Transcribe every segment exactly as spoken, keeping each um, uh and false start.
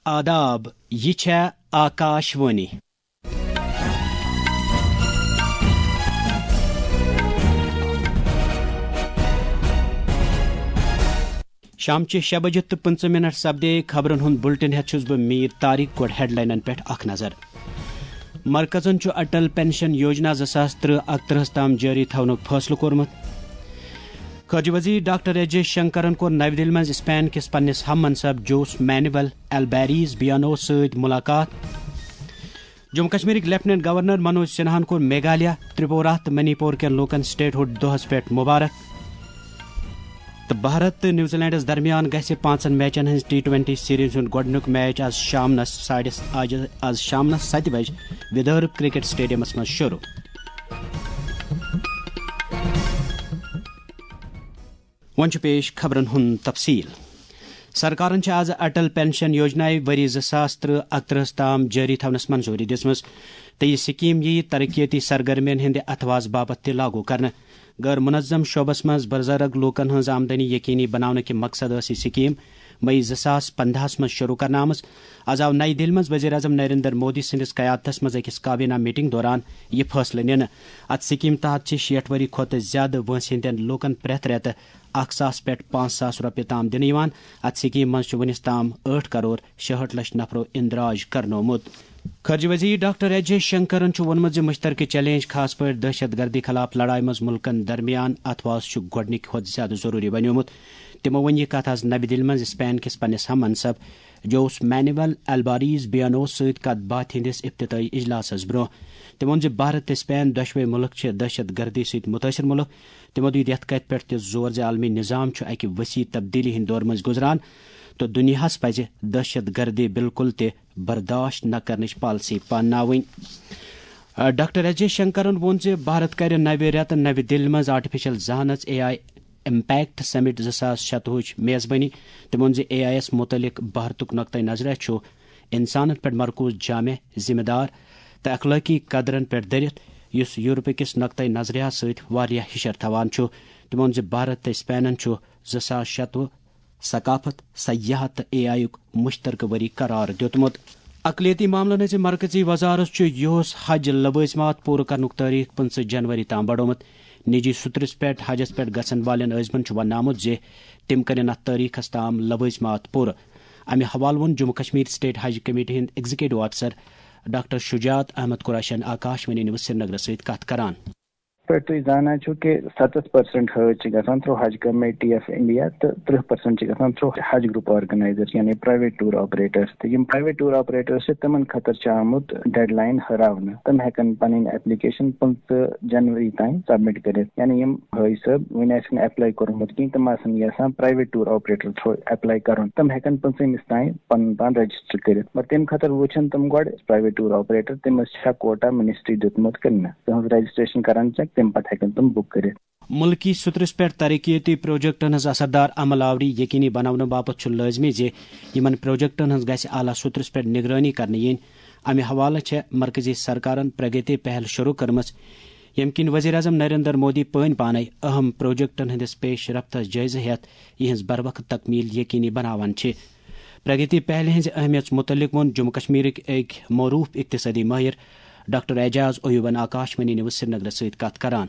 آداب، یہِ چھےٚ آکاش وانی۔ شامچہِ شےٚ بجہِ تہٕ پٕنٛژٕہ منٹ سپدے خبرن ہُنٛد بُلٹن ہٮ۪تھ چھُس بہٕ میٖر طارق۔ گۄڈٕ ہیڈلاینن پٮ۪ٹھ اکھ نظر۔ مرکزن چھُ اٹل پینشن یوجنا زٕ ساس ترٕہ اکترٕہس تام جٲری تھاونُک فٲصلہٕ کوٚرمُت۔ خارجہ وزیر ڈاکٹر ایس جے شنکرن کوٚر نَوِ دِلہِ منٛز اسپین کِس پننِس ہم منصب جوس مینوئل البیریز بیانو سۭتۍ ملاقات۔ جموں کشمیرٕکۍ لیفٹیننٹ گورنر منوج سنہاہن کوٚر میگھالیہ، ترپورہ تہٕ منی پور کٮ۪ن لوٗکن سٹیٹ ہُڈ دۄہس پٮ۪ٹھ مبارک۔ تہٕ بھارت تہٕ نیوزی لینڈس درمیان گژھِ پانٛژن میچن ہٕنٛز ٹی ٹوینٹی سیریز ہُنٛد گۄڈٕنیُک میچ آز شامنس ساڑِ، آز، آز شامنس ستہِ بجہِ ودرب کرکٹ سٹیڈیمس منٛز شروع۔ وۄنۍ چھُ پیش خبرن ہُنٛد تفصیل۔ سرکارن چھِ آز اٹل پینشن یوجنایہِ ؤری زٕ ساس ترٕہ اکترٕہس تام جٲری تھاونس منظوٗری دِژمٕژ، تہٕ یہِ سکیٖم یِیہِ ترقیتی سرگرمین ہٕنٛدِ اتھواز باپتھ تہِ لاگو کرنہٕ۔ غٲر منظم شعبس منٛز بزرگ لوٗکن ہٕنٛز آمدنی یقینی بناونہٕ کہِ مقصد ٲس یہِ سکیٖم مئی زٕ ساس پنٛداہس منٛز شروع کرنہٕ آمٕژ۔ از آو نَیہِ دِلہِ منٛز وزیر اعظم نریندر مودی سٕنٛدِس قیادتس منٛز أکِس کابینہ میٹنگ دوران یہِ فٲصلہٕ نِنہٕ۔ اتھ سکیٖم تحت چھِ شیٹھ ؤری کھۄتہٕ زیادٕ وٲنٛسہِ ہٕنٛدٮ۪ن لوٗکن پرٛٮ۪تھ رٮ۪تہٕ اکھ ساس پٮ۪ٹھ پانٛژھ ساس رۄپیہِ تام دِنہٕ یِوان۔ اتھ سکیٖم منٛز چھُ وُنِس تام ٲٹھ کرور شُہٲٹھ لچھ نفرو اندراج کرنومُت۔ خارجہ وزیر ڈاکٹر ایس جے شنکرن چھُ ووٚنمُت زِ مشترکہٕ چیلنج، خاص پٲٹھۍ دہشت گردی خلاف لڑایہِ منٛز مُلکن درمیان اتھواز، چھُ گۄڈٕنِکہِ کھۄتہٕ زیادٕ ضروٗری بنیومُت۔ تِمو ووٚن یہِ کتھ از نَوِ دِلہِ منٛز اسپین کِس پننِس ہم منصب جوس مینوئل الباریز بیانو سۭتۍ کتھ باتھ ہٕنٛدِس افتتاحی اجلاسس برٛونٛہہ۔ تِمو ووٚن زِ بھارت تہٕ اسپین دۄشوے مُلک چھِ دہشت گردی سۭتۍ مُتٲثر مُلک۔ تِمو دیُت یتھ کتھِ پٮ۪ٹھ تہِ زور زِ عالمی نظام چھُ اکہِ وسیع تبدیلی ہٕنٛدِ دورٕ منٛزۍ گُزران تہٕ دُنیاہس پزِ دہشت گردی بالکل تہِ برداشت نہ کرنٕچ پالیسی پانناوٕنۍ۔ ڈاکٹر ایس جے شنکرن ووٚن زِ بھارت کرِ نوِ رٮ۪تہٕ نَوِ دِلہِ منٛز آرٹیفیشل ذہانت، اے آئی، امپیکٹ سمٹ زٕ ساس شتوُہٕچ میزبٲنی۔ تٔمۍ ووٚن زِ اے آئی یَس مُتعلق بھارتُک نقطہٕ نظرہ چھُ انسانن پٮ۪ٹھ مرکوز، جامع، ذمہ دار تہٕ اخلٲقی قدرن پٮ۪ٹھ دٔرِتھ، یُس یورپہٕ کِس نقطہٕ نظرِیَس سۭتۍ واریاہ ہِشر تھاوان چھُ۔ تٔمۍ ووٚن زِ بھارت تہٕ اسپینن چھُ زٕ ساس شتوُہ ثقافت، سیاحت تہٕ اے آئی یُک مشترکہٕ ؤری قرار دیُتمُت۔ اقلیتی معاملن ہٕنٛزِ مرکزی وزارت چھُ یُہُس حج لوٲزمات پوٗرٕ کرنُک تٲریخ پٕنٛژٕہ جنوری تام بڑومُت۔ نجی سترس پٮ۪ٹھ حجس پٮ۪ٹھ گژھن والٮ۪ن عٲزمن چھُ وننہٕ آمُت زِ تِم کرن اتھ تٲریخس تام لوٲزمات پوٗرٕ۔ امہِ حوالہٕ ووٚن جموں کشمیر سٹیٹ حج کمیٹی ہٕنٛدۍ ایگزیکٹو افسر ڈاکٹر شجاعت احمد قریشن آکاش وانی نیوز سرینگرس سۭتۍ کتھ کران۔ پٲٹھۍ تُہۍ زانان چھِو کہِ ستتھ پرسنٹ حٲج چھِ گژھان تھرو حج کمیٹی آف انڈیا تہٕ ترٕہ پرسنٹ چھِ گژھان تھرو حج گروپ آرگنائزر، یعنی پرائیویٹ ٹور آپریٹرز۔ تہٕ یِم پرائیویٹ ٹور آپریٹرز چھِ، تِمن خٲطرٕ چھِ آمُت ڈیڈ لائن ہراونہٕ۔ تِم ہٮ۪کن پنٕنۍ ایپلیکیشن پٕنٛژٕہ جنوری تام سبمٹ کٔرِتھ۔ یعنی یِم حٲج صٲب وُنہِ آسن اپلائی کوٚرمُت کِہیٖنۍ، تِم آسن یژھان private tour operator through apply کرُن، تِم ہٮ۪کن پٕنٛژٕہمِس تام پنُن پان رجسٹر کٔرِتھ۔ مگر تَمہِ خٲطرٕ وٕچھن تِم گۄڈٕ پرائیویٹ ٹور آپریٹر، تٔمِس چھا کوٹا منسٹری دیُتمُت کِنہٕ نہ۔ تِہنٛز رجسٹریشن کران چیک، تَمہِ پتہٕ ہٮ۪کن تِم بُک کٔرِتھ۔ مُلکی سترس پٮ۪ٹھ ترقیتی پروجیکٹن ہٕنٛز اثردار عمل آوری یقینی بناونہٕ باپتھ چھُ لٲزمی زِ یِمن پروجیکٹن ہٕنٛز گژھِ اعلیٰ سترس پٮ۪ٹھ نگرٲنی کرنہٕ یِنۍ۔ امہِ حوالہٕ چھےٚ مرکزی سرکارن پرگتی پہل شروع کٔرمٕژ، ییٚمہِ کِنۍ وزیر اعظم نریندر مودی پٲنۍ پانے اہم پروجیکٹن ہٕنٛدِس پیش رفتس جٲیزٕ ہٮ۪تھ یِہنٛز بروقت تکمیل یقینی بناوان چھِ۔ پرگتی پہلہِ ہٕنٛزِ اہمیت مُتعلق ووٚن جموں کشمیرٕکۍ أکۍ معروف اقتصٲدی مٲہِر ڈاکٹر اعجاز ایوبن آکاش وانی نیوز سرینگرس سۭتۍ کتھ کران۔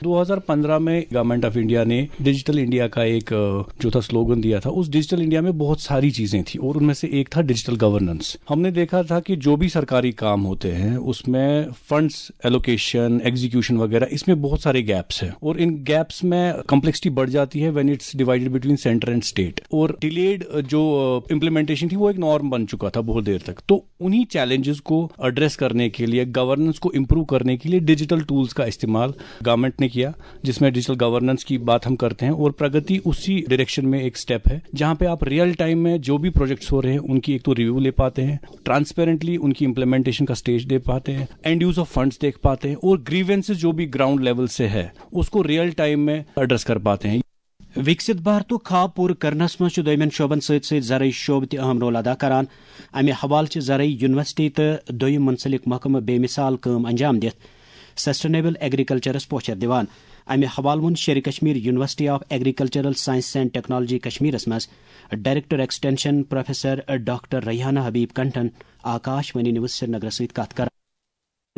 دو ہزار پندرہ میں گورنمنٹ آف انڈیا نے ڈیجیٹل انڈیا کا ایک، جو تھا، سلوگن دیا تھا۔ اس ڈیجیٹل انڈیا میں بہت ساری چیزیں تھیں اور ان میں سے ایک تھا ڈیجیٹل گورننس۔ ہم نے دیکھا تھا کہ جو بھی سرکاری کام ہوتے ہیں، اس میں فنڈز ایلوکیشن، ایگزیکیوشن وغیرہ، اس میں بہت سارے گیپس ہیں اور ان گیپس میں کمپلیکسٹی بڑھ جاتی ہے when it's divided between centre and state۔ اور ڈیلیڈ جو امپلیمنٹیشن تھی، وہ ایک نارم بن چکا تھا بہت دیر تک۔ تو انہیں چیلنجز کو ایڈریس کرنے کے لیے، گورننس کو امپروو کرنے کے لیے ڈیجیٹل ٹولز کا استعمال گورنمنٹ نے کیا، جس میں ڈیجیٹل گورننس کی بات ہم کرتے ہیں اور پرگتی اسی ڈائریکشن میں ایک اسٹیپ ہے، جہاں پہ آپ ریئل ٹائم میں جو بھی پروجیکٹس ہو رہے ہیں، ان کی ایک تو ریویو لے پاتے ہیں، ٹرانسپیرنٹلی ان کی امپلیمنٹیشن کا اسٹیج دے پاتے ہیں، اینڈ یوز آف فنڈز دیکھ پاتے ہیں اور گریونسز جو بھی گراؤنڈ لیول سے ہے، اس کو ریئل ٹائم میں ایڈریس کر پاتے ہیں۔ وِکسِت بھارتُک خواب پوٗرٕ کرنس منٛز چھُ دوٚیمٮ۪ن شعبن سۭتۍ سۭتۍ زرعی شعبہٕ تہِ اہم رول ادا کران۔ امہِ حوالہٕ چھِ زرعی یونیورسٹی تہٕ دوٚیِم منسلک محکمہٕ بے مثال کٲم انجام دِتھ۔ سسٹینیبل ایگریکلچرس پوچھر دِوان۔ امہِ حوالہٕ ووٚن Sher Kashmir university of agricultural sciences and technology کشمیرس منٛز director extension professor doctor Rehana Habib کنٹھن آکاش وانی نیوز سرینگرس سۭتۍ کتھ کران۔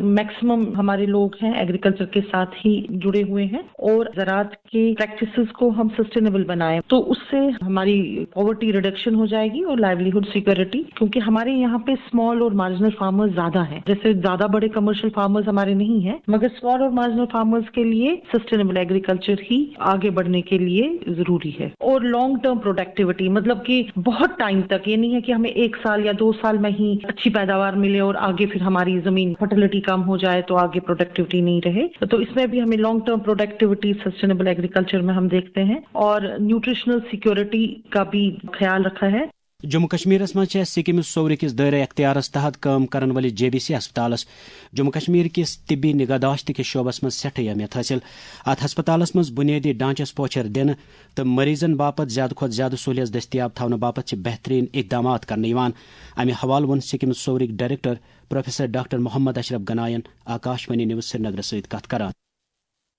میکسیمم ہمارے لوگ ہیں ایگریکلچر کے ساتھ ہی جڑے ہوئے ہیں اور زراعت کی پریکٹسز کو ہم سسٹینیبل بنائیں تو اس سے ہماری پاورٹی ریڈکشن ہو جائے گی اور لائیولیہڈ سیکیورٹی، کیونکہ ہمارے یہاں پہ اسمال اور مارجنل فارمرز زیادہ ہیں۔ جیسے زیادہ بڑے کمرشل فارمرز ہمارے نہیں ہیں، مگر اسمال اور مارجنل فارمرز کے لیے سسٹینیبل ایگریکلچر ہی آگے بڑھنے کے لیے ضروری ہے۔ اور لانگ ٹرم پروڈکٹیوٹی، مطلب کہ بہت ٹائم تک، یہ نہیں ہے کہ ہمیں ایک سال یا دو سال میں ہی اچھی پیداوار ملے اور آگے پھر ہماری زمین فرٹیلیٹی کم ہو جائے تو آگے پروڈکٹیوٹی نہیں رہے۔ تو اس میں بھی ہمیں long term productivity sustainable agriculture میں ہم دیکھتے ہیں اور نیوٹریشنل سیکیورٹی کا بھی خیال رکھا ہے۔ جموں کشمیرس منٛز چھےٚ سکمز صورٕ کِس دٲیرٕ اختیارس تحت کٲم کرن وٲلِس جے بی سی ہسپتالس جموں کشمیر کِس طبی نگہداشت کِس شعبس منٛز سٮ۪ٹھٕے اہمیت حٲصِل۔ اتھ ہسپتالس منٛز بُنیٲدی ڈھانچس پوچھر دِنہٕ تہٕ مریضن باپتھ زیادٕ کھۄتہٕ زیادٕ سہولیژ دٔستیاب تھاونہٕ باپتھ چھِ بہترین اقدامات کرنہٕ یِوان۔ امہِ حوالہٕ ووٚن سکمز صورٕکۍ director professor doctor Mohammad Ashraf گناین آکاش وانی نیوز سرینگرس سۭتۍ کتھ کران۔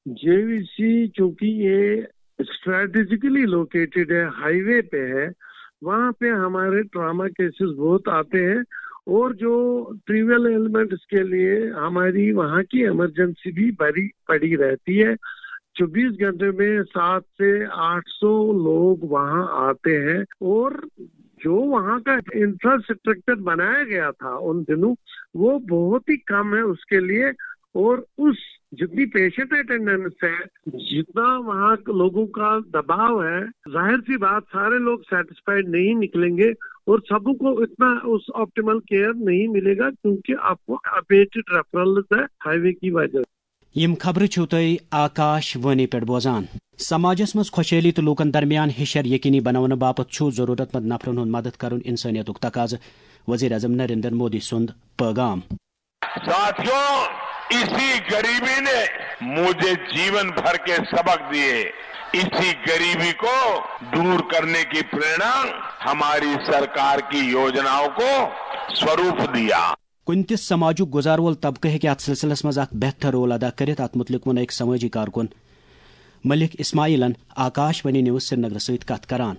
جے وی سی، چونکہ یہ اسٹریٹجیکلی لوکیٹڈ ہے، ہائی وے پہ ہے، وہاں پہ ہمارے ٹراما کیسز بہت آتے ہیں اور جو ٹریول ایلمنٹس کے لیے ہماری وہاں کی ایمرجنسی بھی بڑی پڑی رہتی ہے۔ چوبیس گھنٹے میں سات سے آٹھ سو لوگ وہاں آتے ہیں اور جو وہاں کا انفراسٹرکچر بنایا گیا تھا ان دنوں، وہ بہت ہی کم ہے اس کے لیے۔ اور اس جتنی پیشنٹ اٹینڈنس ہے، جتنا وہاں لوگوں کا دباؤ ہے، ظاہر سی بات سارے لوگ سیٹسفائیڈ نہیں نکلیں گے اور سبوں کو اتنا اس آپٹیمل کیئر نہیں ملے گا، کیونکہ آپ کو ابیٹڈ ریفرلز ہے ہائی وے کی وجہ سے۔ یِم خبرٕ چھِو تُہۍ آکاش وانی پٮ۪ٹھ بوزان۔ سماجس منٛز خۄشحٲلی تہٕ لوٗکن درمیان ہِشر یقینی بناونہٕ باپتھ چھُ ضروٗرت مند نفرن ہُنٛد مدد کرُن انسٲنیتُک تقاضہٕ، وزیر اعظم نریندر مودی سُنٛد پیغام۔ ساتھیوں، اسی غریبی نے مجھے जीवन भर के सबक दिए। इसी गरीबी को दूर करने की प्रेरणा हमारी सरकार की योजनाओं को स्वरूप दिया। کُنہِ تہِ سماجُک گُزار وول طبقہٕ ہیٚکہِ اتھ سلسلس منٛز اکھ بہتر رول ادا کٔرِتھ، اتھ مُتعلق ووٚن أکۍ سمٲجی کارکُن ملک اسماعیلن آکاش وانی نیوز سرینگرٕ سۭتۍ کتھ کران۔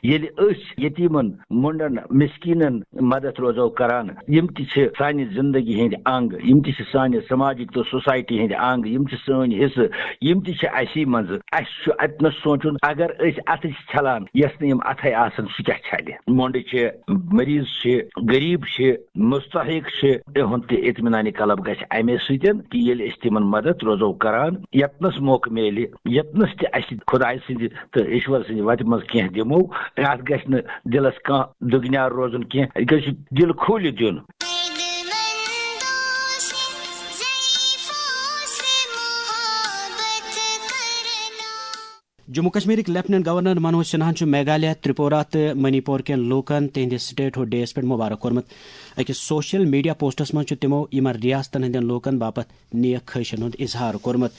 ییٚلہِ أسۍ یتیٖمن، مۄنڈن، مسکیٖنن مدد روزو کران، یِم تہِ چھِ سانہِ زندگی ہٕنٛدۍ انگ، یِم تہِ چھِ سانہِ سماجٕکۍ تہٕ سوسایٹی ہٕنٛدۍ انگ، یِم چھِ سٲنۍ حصہٕ، یِم تہِ چھِ اسی منٛز۔ اسہِ چھُ اتنس سونٛچُن، اگر أسۍ اتھٕ چھِ چھلان، یژھ نہٕ یِم اتھے آسن، سُہ کیٛاہ چھلہِ؟ مۄنڈٕ چھِ، مریض چھِ، غریب چھِ، مستحق چھِ، تِہُنٛد تہِ اطمینان قلب گژھِ امے سۭتۍ کہِ ییٚلہِ أسۍ تِمن مدد روزو کران، یتنس موقعہٕ میلہِ، یتنس تہِ اسہِ خدایہِ سٕنٛدِ تہٕ ایشور سٕنٛدِ وتہِ منٛز کینٛہہ دِمو، اتھ گژھِ نہٕ دِلس کانٛہہ دُگنیار روزُن کینٛہہ، یہِ گژھِ دِل کھوٗلِتھ دیُن۔ جموں کشمیرٕکۍ لیفٹیننٹ گورنر منوج سنہاہن چھُ میگھالیہ، ترپورہ تہٕ منی پور کٮ۪ن لوٗکن تِہنٛدِ سٹیٹ ہُڈ ڈے یَس پٮ۪ٹھ مبارک کوٚرمُت۔ أکِس سوشل میڈیا پوسٹس منٛز چھُ تِمو یِمن ریاستن ہٕنٛدٮ۪ن لوٗکن باپتھ نیک خٲہشن ہُنٛد اظہار کوٚرمُت۔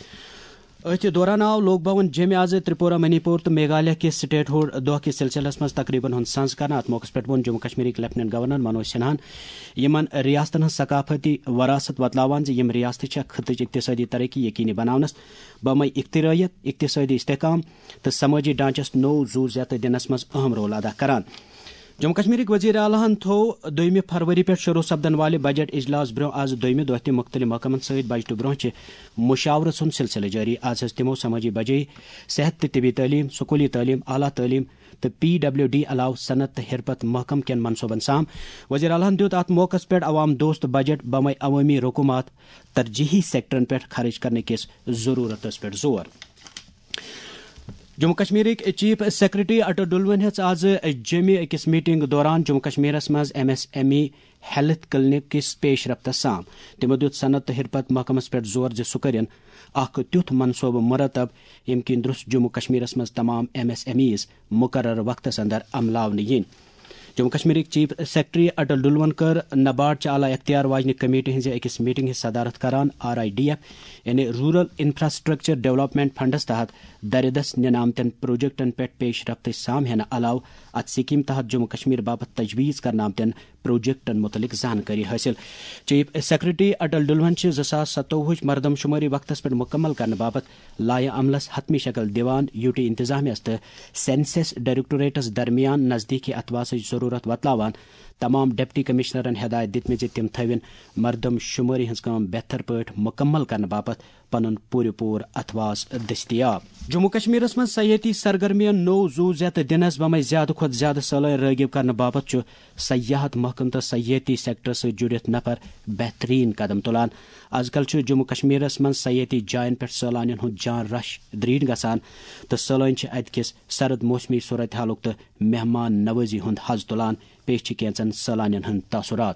أتھۍ دوران آو لوک بھون جیٚمہِ آز ترپورہ، منی پور تہٕ میگھالیہ کِس سٹیٹ ہُڈ دۄہ کِس سلسلس منٛز تقریبن ہُنٛد سنز کرنہٕ۔ اتھ موقعس پٮ۪ٹھ ووٚن جموں کشمیرٕکۍ لیفٹیننٹ گورنر منوج سنہاہن یِمن ریاستن ہٕنٛز ثقافتی وراثت وۄتلاوان زِ یِم ریاستہٕ چھےٚ خطٕچ اقتصٲدی ترقی یقینی بناونس، بمے اختراعیت، اقتصٲدی استحکام تہٕ سمٲجی ڈھانچس نوٚو زُو زیتہٕ دِنس منٛز اہم رول ادا کران۔ جموں کشمیرٕکۍ وزیر اعلیٰ ہن تھوو دوٚیمہِ فروری پٮ۪ٹھ شروع سپدن والہِ بجٹ اجلاس برٛونٛہہ آز دوٚیمہِ دۄہ تہِ مُختٔلِف محکمن سۭتۍ بجٹہٕ برٛونٛہہ چہِ مشاورٕ سُنٛد سلسلہٕ جٲری۔ آز ہیٚژ تِمو سمٲجی بجٲیی، صحت تہٕ طبی تعلیٖم، سکوٗلی تعلیٖم، اعلیٰ تعلیٖم تہٕ پی ڈبلیو ڈی علاوٕ صنعت تہٕ حرفت محکمہٕ کٮ۪ن منصوٗبن سام۔ وزیر اعلیٰ ہن دیُت اتھ موقعس پٮ۪ٹھ عوام دوست بجٹ بمے عوٲمی رقوٗمات ترجیحی سیکٹرن پٮ۪ٹھ خرٕچ کرنہٕ کِس ضروٗرتس پٮ۪ٹھ زور۔ جموں کشمیرٕکۍ چیف سیکرٹری اٹل ڈلوَن ہیٚژ آز جیٚمہِ أکِس میٹنگ دوران جموں کشمیرس منٛز M S M E health clinic کِس پیش رفتس سام۔ تِمو دیُت صنعت تہٕ حرفت محکمس پٮ۪ٹھ زور زِ سُہ کٔرِن اکھ تیُتھ منصوبہٕ مرتب، ییٚمہِ کِنۍ درست جموں کشمیرس منٛز تمام ایم ایس ایم ایز مقررٕ وقتس اندر عملاونہٕ یِن۔ جموں کشمیرٕکۍ چیف سیکرٹری اٹل ڈلون کٔر نباٹ چہِ اعلیٰ اختیار واجنہِ کمیٹی ہٕنٛزِ أکِس میٹنگ ہٕنٛز صدارت کران۔ آر آئی ڈی ایف، یعنی رورل انفراسٹرکچر ڈیولپمنٹ فنڈس تحت درِ دست نِنہٕ آمتٮ۪ن پروجیکٹن پٮ۪ٹھ پیش رفتٕچ سام ہینہٕ علاوٕ اتھ سکیٖم تحت جموں کشمیر باپتھ تجویز کرنہٕ آمتٮ۪ن پروجیکٹن متعلق زانکٲری حٲصِل۔ چیف سیکرٹری اٹل ڈلون چھِ زٕ ساس ستووُہٕچ مردم شمٲری وقتس پٮ۪ٹھ مکمل کرنہٕ باپتھ لایحہ عملس حتمی شکل دِوان، یوٗ ٹی انتظامیہس تہٕ سینسس ڈائریکٹوریٹس درمیان نزدیکی اتھواسٕچ ضرورت وۄتلاوان تمام ڈپٹی کمشنرن ہدایت دِتمٕژ زِ تِم تھٲوِن مردم شمٲری ہٕنٛز کٲم بہتر پٲٹھۍ مکمل کرنہٕ باپتھ پنُن پوٗرٕ پوٗرٕ اتھواس دٔستیاب۔ جموں کشمیرس منٛز سیاحتی سرگرمیَن نوٚو زُو زیتہٕ دِنس بمے زیادٕ کھۄتہٕ زیادٕ سٲلٲنۍ رٲغب کرنہٕ باپتھ چھُ سیاحت محکمہٕ تہٕ سیاحتی سیکٹرس سۭتۍ جُڑِتھ نفر بہترین قدم تُلان۔ از کل چھُ جموں کشمیرس منٛز سیاحتی جاین پٮ۪ٹھ سٲلانین ہُنٛد جان رش دریڈ گژھان تہٕ سٲلٲنۍ چھِ اتہِ کِس سرد موسمی صورتحالُک تہٕ مہمان نوازی ہُنٛد حظ تُلان۔ پیش چھِ کینٛژن سٲلانین ہٕنٛدۍ تاثرات۔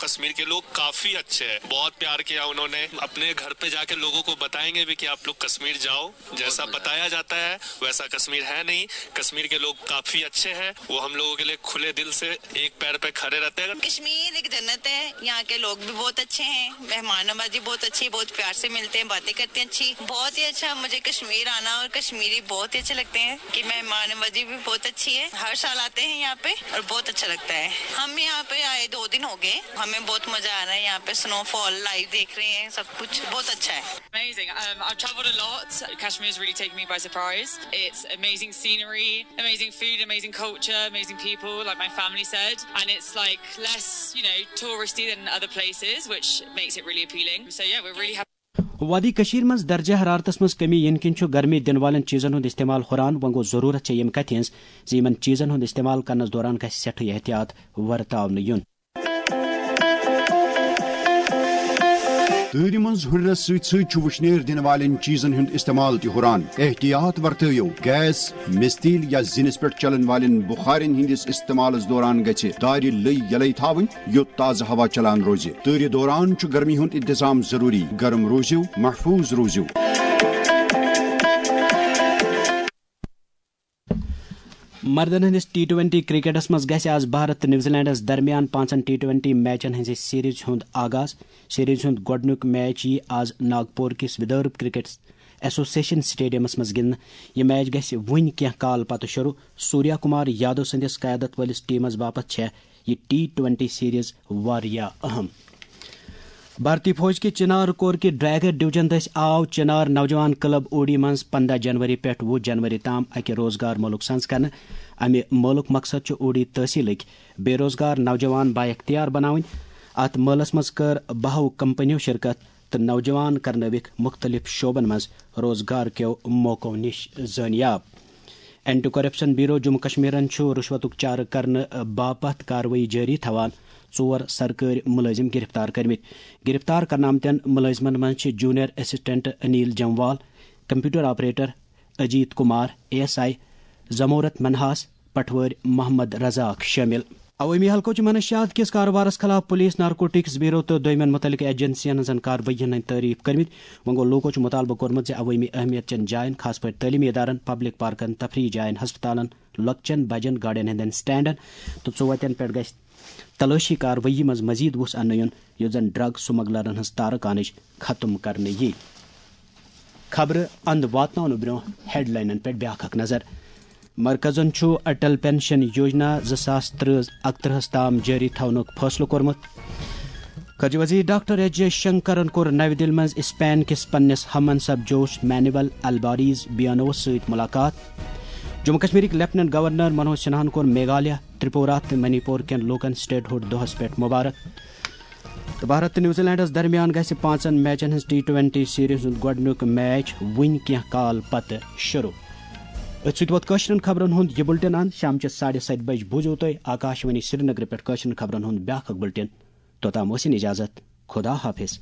کشمیر کے لوگ کافی اچھے ہیں، بہت پیار کیا انہوں نے۔ اپنے گھر پہ جاکے لوگوں کو بتائیں گے بھی کہ آپ لوگ کشمیر جاؤ، جیسا بتایا جاتا ہے ویسا کشمیر ہے نہیں۔ کشمیر کے لوگ کافی اچھے ہیں، وہ ہم لوگوں کے لیے کھلے دل سے ایک پیر پہ کھڑے رہتے ہیں۔ کشمیر ایک جنت ہے، یہاں کے لوگ بھی بہت اچھے ہیں، مہمان نوازی بہت اچھی، بہت پیار سے ملتے ہیں، باتیں کرتے ہیں اچھی۔ بہت ہی اچھا، مجھے کشمیر آنا اور کشمیری بہت ہی اچھے لگتے ہیں کہ مہمان نوازی بھی بہت اچھی ہے، ہر سال آتے ہیں یہاں پہ اور بہت اچھا لگتا ہے۔ ہم یہاں پہ آئے دو دن ہو گئے، ہمیں بہت مزہ آ رہا ہے یہاں پہ، سنو فال لائیو دیکھ رہے ہیں، سب کچھ بہت اچھا ہے۔ Amazing. Um, I've travelled a lot. Kashmir's really taken me by surprise. It's amazing scenery, amazing food, amazing culture, amazing people, like my family said. And it's like less, you know, touristy than other places, which makes it really appealing. So yeah, we're really happy. وادی کشمیر منٛز درجہ حرارتس منٛز کمی یِنہٕ کِنۍ چھُ گرمی دِنہٕ والٮ۪ن چیٖزن ہُنٛد استعمال ہُران۔ وۄنۍ گوٚو ضروٗرت چھےٚ ییٚمہِ کتھِ ہٕنٛز زِ یِمن چیٖزن ہُنٛد استعمال کرنس دوران گژھِ سٮ۪ٹھٕے احتیاط ورتاونہٕ یُن۔ تۭرِ منٛز ہُرٮ۪رس سۭتۍ سۭتۍ چھُ وُشنیر دِنہٕ والٮ۪ن چیٖزن ہُنٛد استعمال تہِ ہُران۔ احتیاط ورتٲیِو، گیس، مِستیٖل یا زِنِس پٮ۪ٹھ چلن والٮ۪ن بُخارٮ۪ن ہٕنٛدِس استعمالس دوران گژھِ دارِ لٔۍ یلے تھاوٕنۍ، یُتھ تازٕ ہوا چلان روزِ۔ تۭرِ دوران چھُ گرمی ہُنٛد انتظام ضروٗری۔ گرم روٗزِو، محفوٗظ روٗزِو۔ مردن ہٕنٛدِس ٹی ٹوینٹی کرکٹس منٛز گژھِ آز بھارت تہٕ نیوزی لینڈس درمیان پانٛژن ٹی ٹوینٹی میچن ہٕنٛزِ سیریز ہُنٛد آغاز۔ سیریز ہُنٛد گۄڈٕنیُک میچ یِیہِ آز ناگپور کِس ودربھ کرکٹ ایسوسیشن سٹیڈیمس منٛز گِنٛدنہٕ۔ یہِ میچ گژھِ وُنہِ کینٛہہ کال پتہٕ شروٗع۔ سوریہ کمار یادو سٕنٛدِس قیادت وٲلِس ٹیمس باپتھ چھےٚ یہِ ٹی ٹوینٹی سیریز واریاہ اہم۔ بھارتی فوج کہِ چنار کور کہِ ڈرائیگر ڈویژن دٔسۍ آو چنار نوجوان کلب اوڈی منٛز پنٛداہ جنوری پٮ۪ٹھ وُہ جنوری تام اکہِ روزگار مولُک سنز کرنہٕ۔ امہِ مولُک مقصد چھُ اوڈی تحصیلٕکۍ بے روزگار نوجوان بااختیار بناوٕنۍ۔ اتھ مٲلس منٛز کٔر بہو کمپنیو شرکت تہٕ نوجوان کرنٲوِکھ مُختٔلِف شعبن منٛز روزگار کیو موقعو نِش زٲنیاب۔ اینٹی کرپشن بیورو جموں کشمیرن چھُ رُشوتُک چارٕ کرنہٕ باپتھ کاروٲیی جٲری تھاوان۔ ژور سرکٲرۍ مُلٲزِم گِرفتار کٔرمٕتۍ۔ گِرفتار کرنہٕ آمتٮ۪ن مُلٲزِمن منٛز چھِ junior assistant Anil Jamwal, computer operator Ajit Kumar, A S I Zamurat Minhas, پٹھوٲرۍ محمد رزاق شٲمِل۔ عوٲمی حلقو چھُ منشیات کِس کاروبارس خلاف پولیس، نارکوٹکس بیورو تہٕ دویمٮ۪ن مُتعلقہٕ ایجنسین ہٕنٛزن کاروٲیی ہٕنٛدۍ تعریف کٔرمٕتۍ۔ وۄنۍ گوٚو، لوٗکو چھُ مُطالبہٕ کوٚرمُت زِ عوٲمی اہمیت چٮ۪ن جاین، خاص پٲٹھۍ تعلیمی ادارن، پبلک پارکن، تفریح جاین، ہسپتالن، لۄکچٮ۪ن بجن گاڑٮ۪ن ہٕنٛدٮ۪ن سٹینڈن تہٕ ژوتٮ۪ن پٮ۪ٹھ گژھِ تلٲشی کاروٲیی منٛز مزید وُژھ اننہٕ یُن، یُتھ زن ڈرگ سمگلرن ہٕنٛز تارکانٕچ ختم کرنہٕ یی۔ خبرٕ اند واتناونہٕ برونٛہہ ہیڈلاینن پٮ۪ٹھ بیاکھ اکھ نظر۔ مرکزن چھُ اٹل پینشن یوجنا زٕ ساس ترٕہ اکترٕہس تام جٲری تھاونُک فٲصلہٕ کوٚرمُت۔ خارجہ وزیر ڈاکٹر ایس جے شنکرن کوٚر نَوِ دِلہِ منٛز اسپین کِس پننِس ہم منصب جوش مینوئل الباریز بیانوس سۭتۍ ملاقات۔ جموں کشمیرٕکۍ لیفٹیننٹ گورنر منوج سنہاہن کوٚر میگھالیہ، ترپورہ تہٕ منی پور کٮ۪ن لوٗکن سٹیٹ ہُڈ دۄہس پٮ۪ٹھ مبارک۔ تہٕ بھارت تہٕ نیوزی لینڈس درمیان گژھِ پانٛژن میچن ہٕنٛز ٹی ٹوینٹی سیریز ہُنٛد گۄڈٕنیُک میچ وُنہِ کینٛہہ کال پتہٕ شروع۔ أتھۍ سۭتۍ ووت کٲشرٮ۪ن خبرن ہُنٛد یہِ بُلٹن اند۔ شامچہِ ساڑِ ستہِ بجہِ بوٗزِو تُہۍ آکاشوانی سرینگرٕ پٮ۪ٹھ کٲشرٮ۪ن خبرن ہُنٛد بیٛاکھ اکھ بُلٹن۔ توٚتام ٲسِن اجازت۔ خدا حافظ۔